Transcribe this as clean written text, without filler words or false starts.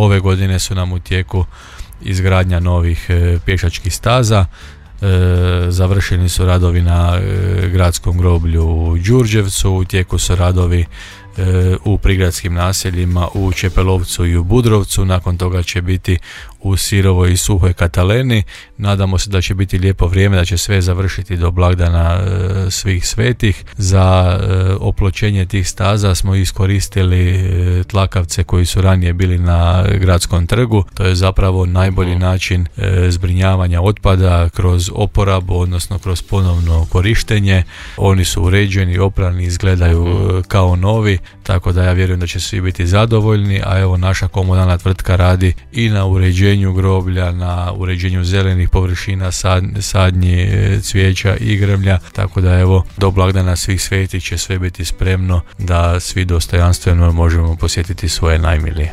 Ove godine su nam u tijeku izgradnja novih pješačkih staza. Završeni su radovi na gradskom groblju u Đurđevcu, u tijeku su radovi u prigradskim naseljima u Čepelovcu i u Budrovcu. Nakon toga će biti u Sirovoj i Suhoj Kataleni. Nadamo se da će biti lijepo vrijeme, da će sve završiti do blagdana svih svetih. Za opločenje tih staza smo iskoristili tlakavce koji su ranije bili na gradskom trgu. To je zapravo najbolji način zbrinjavanja otpada kroz oporabu, odnosno kroz ponovno korištenje. Oni su uređeni, oprani, izgledaju kao novi, tako da ja vjerujem da će svi biti zadovoljni, a evo naša komunalna tvrtka radi i na uređenju groblja, na uređenju zelenih površina, sadnji cvijeća i grmlja, tako da evo do blagdana svih svetih će sve biti spremno da svi dostojanstveno možemo posjetiti svoje najmilije.